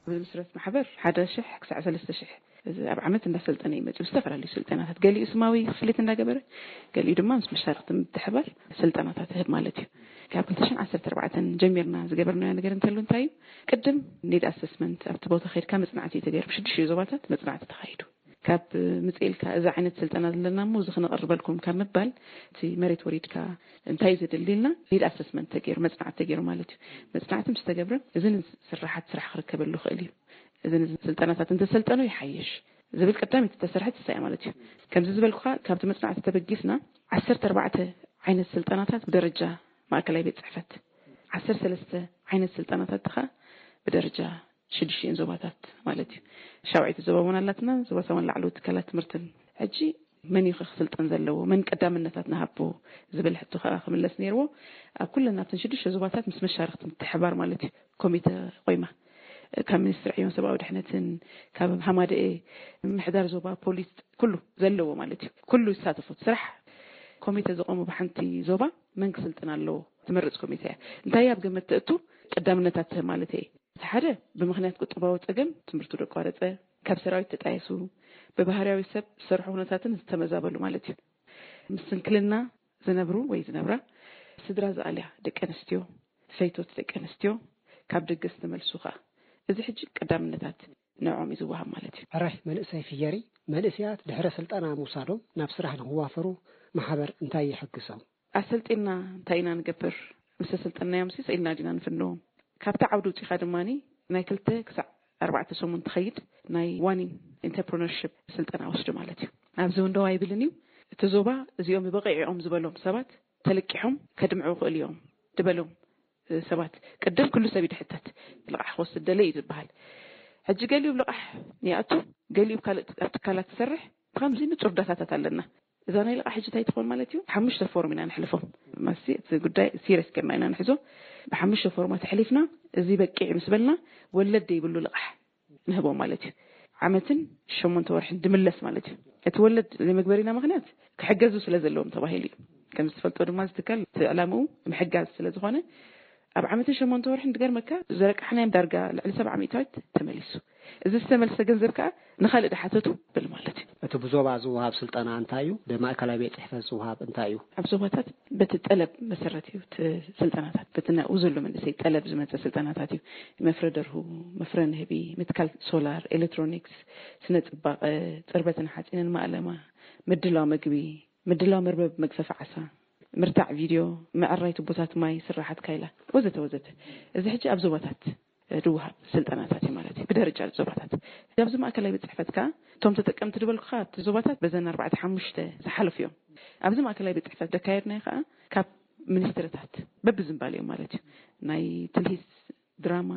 ዝምስረት ማሕበር ሓደ ሽሕ ክሳዕ ሰለስተ ሽሕ ኣብ ዓመት እንዳሰልጠነ ይመጽእ። ዝተፈላለዩ ስልጠናታት፣ ገሊኡ ስማዊ ክፍሊት እንዳገበረ፣ ገሊኡ ድማ ምስ መሻርክቲ ምትሕባር ስልጠናታት ይህብ ማለት እዩ። ካብ ክልተ ሽሕን ዓሰርተ ኣርባዕተን ጀሚርና ዝገበርናዮ ነገር እንተሉ እንታይ እዩ? ቅድም ኒድ ኣሰስመንት ኣብቲ ቦታ ከይድካ መጽናዕቲ እዩ ተገይሩ። ብሽዱሽተ ዞባታት መጽናዕቲ ተኻይዱ። ካብ ምጽእ ኢልካ እዚ ዓይነት ስልጠና ዘለና እሞ እዚ ክነቕርበልኩም ካብ ምባል፣ እቲ መሬት ወሪድካ እንታይ እዩ ዘድሊ ኢልና ኒድ ኣሰስመንት ተገይሩ፣ መጽናዕቲ ተገይሩ ማለት እዩ። መጽናዕቲ ምስ ተገብረ እዚ ስራሓት ስራሕ ክርከበሉ ይኽእል እዩ። እዚ ስልጠናታት እንተሰልጠኑ ይሓይሽ ዝብል ቀዳሚት ዝተሰርሐት እሳ እያ ማለት እዩ። ከምዚ ዝበልኩኻ ካብቲ መጽናዕቲ ተበጊስና ዓሰርተ ኣርባዕተ ዓይነት ስልጠናታት ብደረጃ ማእከላይ ቤት ጽሕፈት፣ ዓሰርተ ሰለስተ ዓይነት ስልጠናታት ከዓ ብደረጃ ሽዱሽተን ዞባታት ማለት እዩ። ሻውዓይቲ ዞባ እውን ኣላትና፣ ዞባ ሳዋን ላዕለዎት ትካላት ትምህርትን። ሕጂ መን እዩ ክስልጠን ዘለዎ፣ መን ቀዳምነታት ንሃቦ ዝብል ሕቶ ከዓ ክምለስ ነይርዎ። ኣብ ኩለን ኣብተን ሽዱሽተ ዞባታት ምስ መሻርክቲ ምትሕባር ማለት እዩ ኮሚተ ቆይማ፣ ካብ ሚኒስትሪ ዕዮን ሰብኣዊ ድሕነትን ካብ ሃማደኤ ምሕዳር ዞባ ፖሊስ ኩሉ ዘለዎ ማለት እዩ። ኩሉ ይሳተፉ። ስራሕ ኮሚተ ዝቆሙ ብሓንቲ ዞባ መን ክስልጥን ኣለዎ ትመርጽ ኮሚተ እያ። እንታይ ኣብ ግምት ተእቱ? ቀዳምነታት ትህብ ማለት እየ። እቲ ሓደ ብምኽንያት ቁጠባዊ ጸገም ትምህርቱ ዘቋረጸ፣ ካብ ሰራዊት ተጣየሱ፣ ብባህርያዊ ሰብ ዝሰርሖ ኩነታትን ዝተመዛበሉ ማለት እዩ። ምስ ስንክልና ዝነብሩ ወይ ዝነብራ ስድራ ዝኣልያ ደቂ ኣንስትዮ፣ ፈይቶት ደቂ ኣንስትዮ፣ ካብ ደገ ዝተመልሱ ኸኣ። እዚ ሕጂ ቀዳምነታት ንዕኦም እዩ ዝወሃብ ማለት እዩ። ሕራይ መንእሰይ ፍየሪ፣ መንእሰያት ድሕረ ስልጠና ምውሳዶም ናብ ስራሕ ንክዋፈሩ ማሕበር እንታይ ይሕግዞም? ኣሰልጢና እንታይ ኢና ንገብር? ምስ ኣሰልጠናዮም ሲ ስኢልና ዲና ንፍንዎም? ካብቲ ዓውዲ ውፂኻ ድማ ናይ ክልተ ክሳዕ ኣርባዕተ ሰሙን ትኸይድ ናይ ዋኒን ኢንተርፕረነርሽፕ ስልጠና ወስዱ ማለት እዩ። ኣብዚ እውን ደው ኣይብልን እዩ። እቲ ዞባ እዚኦም ብበቂዕኦም ዝበሎም ሰባት ተለቂሖም ከድምዑ ይኽእሉ እዮም ዝበሎም ሰባት ቅድም ኩሉ ሰብ ይድሕተት። ልቓሕ ክወስድ ደለ እዩ ዝበሃል። ሕጂ ገሊኡ ልቓሕ ይኣቱ፣ ገሊኡ ካልእ ኣብ ትካላት ትሰርሕ። ብከምዚ ንጹር ዳታታት ኣለና። እዛ ናይ ልቓሕ ሕጂ እንታይ ትኾን ማለት እዩ? ሓሙሽተ ፎርም ኢና ንሕልፎም። ማሲ እቲ ጉዳይ ሲሪየስ ጌርና ኢና ንሕዞ። ብሓሙሽተ ፎርማት ኣሕሊፍና እዚ በቂዕ ምስ በልና ወለድ ዘይብሉ ልቓሕ ንህቦም ማለት እዩ። ዓመትን ሸሞንተ ወርሕን ድምለስ ማለት እዩ። እቲ ወለድ ዘይመግበሪና ምኽንያት ክሕገዙ ስለ ዘለዎም ተባሂሉ እዩ። ከም ዝትፈልጦ ድማ ዝትካል እቲ ዕላምኡ ምሕጋዝ ስለ ዝኾነ ኣብ ዓመትን ሸሞንተ ወርሕን ድገርመካ ዘረቃሕናዮም ዳርጋ ልዕሊ ሰብዓ ሚእታዊት ተመሊሱ። እዚ ዝተመልሰ ገንዘብ ከዓ ንኻልእ ድሓተቱ ብል ማለት እዩ። እቲ ብዞባ ዝወሃብ ስልጠና እንታይ እዩ? ብማእከላይ ቤት ጽሕፈት ዝወሃብ እንታይ እዩ? ኣብ ዞባታት በቲ ጠለብ መሰረት እዩ እቲ ስልጠናታት፣ በቲ ናብኡ ዘሎ መንእሰይ ጠለብ ዝመፀ ስልጠናታት እዩ። መፍረ ደርሁ፣ መፍረ ንህቢ፣ ምትካል ሶላር፣ ኤሌክትሮኒክስ፣ ስነ ፅባቐ፣ ፅርበትን ሓፂንን ማእለማ፣ ምድላው መግቢ፣ ምድላው መርበብ መግፈፊ ዓሳ፣ ምርታዕ ቪድዮ፣ ምዕራይ ቱቦታት ማይ፣ ስራሓት ካይላ ወዘተ ወዘተ። እዚ ሕጂ ኣብ ዞባታት ድወሃብ ስልጠናታት እዩ ማለት እዩ። ብደረጃ ዞባታት ኣብዚ ማእከላይ ቤት ጽሕፈት ከኣ እቶም ተጠቀምቲ ዝበልኩኻ ኣብቲ ዞባታት በዘን ኣርባዕተ ሓሙሽተ ዝሓለፉ እዮም። ኣብዚ ማእከላይ ቤት ጽሕፈት ደካየድናዮ ከኣ ካብ ሚኒስትርታት በብዝምባል እዮም ማለት እዩ። ናይ ትልሂት፣ ድራማ፣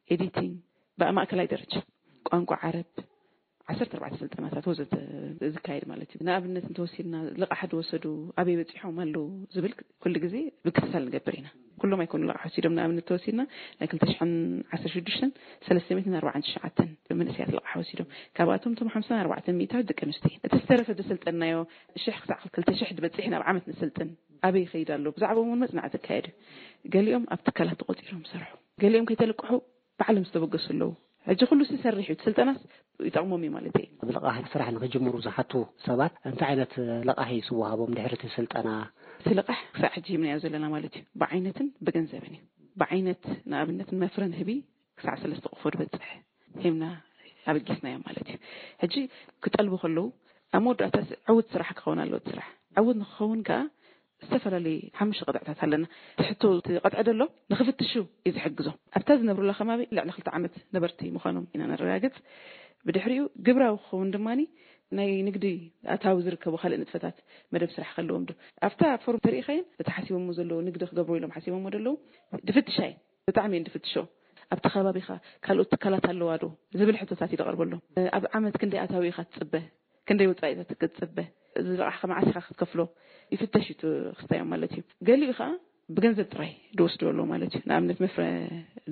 ኤዲቲንግ ብማእከላይ ደረጃ፣ ቋንቋ ዓረብ፣ ዓሰርተ ኣርባዕተ ስልጠናታት ወዘተ ዝካየድ ማለት እዩ። ንኣብነት እንተወሲድና ልቓሕ ዝወሰዱ ኣበይ በፂሖም ኣለዉ ዝብል ኩሉ ግዜ ምክትታል ንገብር ኢና። ኩሎም ኣይኮኑ ልቓሕ ወሲዶም። ንኣብነት ተወሲድና ናይ ክልተ ሽሕን ዓሰርተ ሽዱሽተን ሰለስተ ሚእትን ኣርባዓን ትሽዓተን መንእሰያት ልቓሕ ወሲዶም። ካብኣቶም እቶም ሓምሳን ኣርባዕተን ሚእታዊት ደቂ ኣንስትዮ እየን። እቲ ዝተረፈ ዝሰልጠንናዮ ሽሕ ክሳዕ ክልተ ሽሕ ዝበፅሕ ናብ ዓመት ንስልጥን ኣበይ ይኸይድ ኣሎ? ብዛዕባኦም እውን መፅናዕቲ ይካየድ እዩ። ገሊኦም ኣብ ትካላት ተቖፂሮም ይሰርሑ፣ ገሊኦም ከይተለቅሑ ባዕሎም ዝተበገሱ ኣለዉ። ሕጂ ኩሉ ሲ ይሰርሕ እዩ፣ እቲ ስልጠናስ ይጠቕሞም እዩ ማለት እዩ። ብልቓሕ ስራሕ ንክጅምሩ ዝሓቱ ሰባት እንታይ ዓይነት ልቓሕ እዩ ዝወሃቦም ድሕሪ እቲ ስልጠና? እቲ ልቓሕ ክሳዕ ሕጂ ሂብናዮ ዘለና ማለት እዩ፣ ብዓይነትን ብገንዘብን እዩ። ብዓይነት ንኣብነት ንመፍረ ንህቢ ክሳዕ ሰለስተ ቆፎ ዝበፅሕ ሂብና ኣበጊስናዮም ማለት እዩ። ሕጂ ክጠልቡ ከለዉ ኣብ መወዳእታ ዕውት ስራሕ ክኸውን ኣለዎ። እቲ ስራሕ ዕውት ንክኸውን ከዓ ዝተፈላለዩ ሓሙሽተ ቅጥዕታት ኣለና። ትሕቶ እቲ ቅጥዒ ደሎ ንክፍትሹ እዩ ዝሕግዞም። ኣብታ ዝነብሩላ ከባቢ ልዕሊ ክልተ ዓመት ነበርቲ ምዃኖም ኢና ነረጋግጽ። ብድሕሪኡ ግብራዊ ክኸውን ድማ ናይ ንግዲ ኣታዊ ዝርከቡ ካልእ ንጥፈታት መደብ ስራሕ ከለዎም ዶ ኣብታ ፎርም ተሪኢኻየን እቲ ሓሲቦሞ ዘለዉ ንግዲ ክገብሩ ኢሎም ሓሲቦሞ ደለዉ ድፍትሻ እየን። ብጣዕሚ እየን ድፍትሾ። ኣብቲ ከባቢኻ ካልኦት ትካላት ኣለዋ ዶ ዝብል ሕቶታት እዩ ደቐርበሎም። ኣብ ዓመት ክንደይ ኣታዊ ኢኻ ትጽበ? ክንደይ ወጻኢታት ክትጽበ? እዚ ልቓሕኻ መዓስ ኢኻ ክትከፍሎ? ይፍተሽ እዩ እቲ ክስታዮም ማለት እዩ። ገሊኡ ኸኣ ብገንዘብ ጥራይ ዝወስዱ ኣለዉ ማለት እዩ። ንኣብነት መፍረ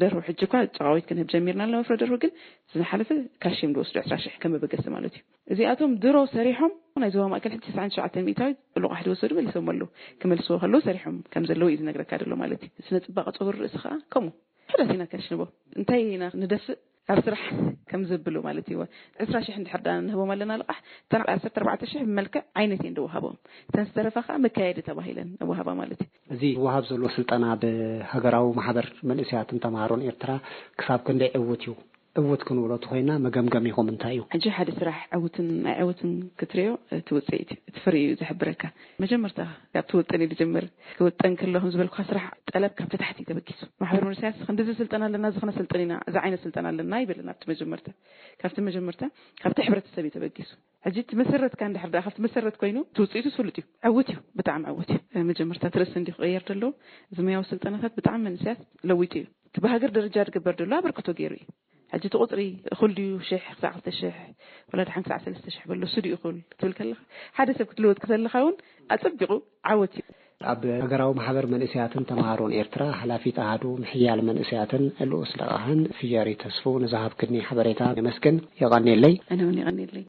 ደርሁ ሕጂ እኳ ጨቓዊት ክንህብ ጀሚርና ኣለና። መፍረ ደርሁ ግን ዝሓለፈ ካሽ እዮም ዝወስዱ ዕስራ ሽሕ ከም መበገሲ ማለት እዩ። እዚኣቶም ድሮ ሰሪሖም ናይ ዞባ ማእከል ሕጂ ተስዓን ትሽዓተን ሚእታዊት ልቓሕ ዝወሰዱ መሊሶም ኣለዉ። ክመልስዎ ከለዉ ሰሪሖም ከም ዘለዉ እዩ ዝነግረካ ዘሎ ማለት እዩ። ስነ ጽባቐ ጸጉሪ ርእሲ ኸኣ ከምኡ። ሕዳት ኢና ከሽንቦ። እንታይ ኢና ንደፍእ? ኣብ ስራሕ ከም ዘብሉ ማለት እዩ። ዕስራ ሽሕ እንድሕር ዳ ንህቦም ኣለና ልቓሕ፣ እተን ዓሰርተ ኣርባዕተ ሽሕ ብመልክዕ ዓይነት እየን ዝወሃቦም። እተን ዝተረፋ ከዓ መካየዲ ተባሂለን ንወሃባ ማለት እዩ። እዚ ዝወሃብ ዘሎ ስልጠና ብሃገራዊ ማሕበር መንእሰያትን ተምሃሮን ኤርትራ ክሳብ ክንደይ ዕዉት እዩ? ዕዉት ክንብሎ ተኾይና መገምገሚኹም እንታይ እዩ? ሕጂ ሓደ ስራሕ ዕዉትን ኣይዕዉትን ክትሪኦ፣ እቲ ውፅኢት እዩ፣ እቲ ፍሪ እዩ ዝሕብረካ። መጀመርታ ካብ ትውጥን እዩ ዝጀምር። ክውጠን ከሎ ከም ዝበልኩካ ስራሕ ጠለብ ካብቲ ታሕቲ እዩ ተበጊሱ። ማሕበር መንእሰያት ክንዲዚ ስልጠና ኣለና፣ እዚ ክነሰልጥን ኢና፣ እዚ ዓይነት ስልጠና ኣለና ይብልን ኣብቲ መጀመርታ። ካብቲ መጀመርታ ካብቲ ሕብረተሰብ እዩ ተበጊሱ። ሕጂ እቲ መሰረትካ እንድሕር ደኣ ካብቲ መሰረት ኮይኑ እቲ ውፅኢቱ ስሉጥ እዩ። ዕዉት እዩ፣ ብጣዕሚ ዕዉት እዩ። መጀመርታ እቲ ርእሲ እንዲ ክቕየር ዘለዎ፣ እዚ ሙያዊ ስልጠናታት ብጣዕሚ መንእሰያት ለዊጡ እዩ። እቲ ብሃገር ደረጃ ዝግበር ዘሎ ኣበርክቶ ገይሩ እዩ። ሕጂ እቲ ቁፅሪ እኹል ድዩ? ሽሕ ክሳዕ ክልተ ሽሕ፣ ወላ ደሓን ክሳዕ ሰለስተ ሽሕ በሎ፣ እሱ ድዩ እኹል ክትብል ከለኻ፣ ሓደ ሰብ ክትልወጥ ከለኻ እውን ኣጸቢቑ ዓወት እዩ። ኣብ ሃገራዊ ማሕበር መንእሰያትን ተምሃሮን ኤርትራ ሓላፊት ኣሃዱ ምሕያል መንእሰያትን ልኡስ ለቓሕን ፍየሪ ተስፉ ንዝሃብክኒ ሓበሬታ የመስግን። የቐንየለይ። ኣነ እውን የቐንየለይ።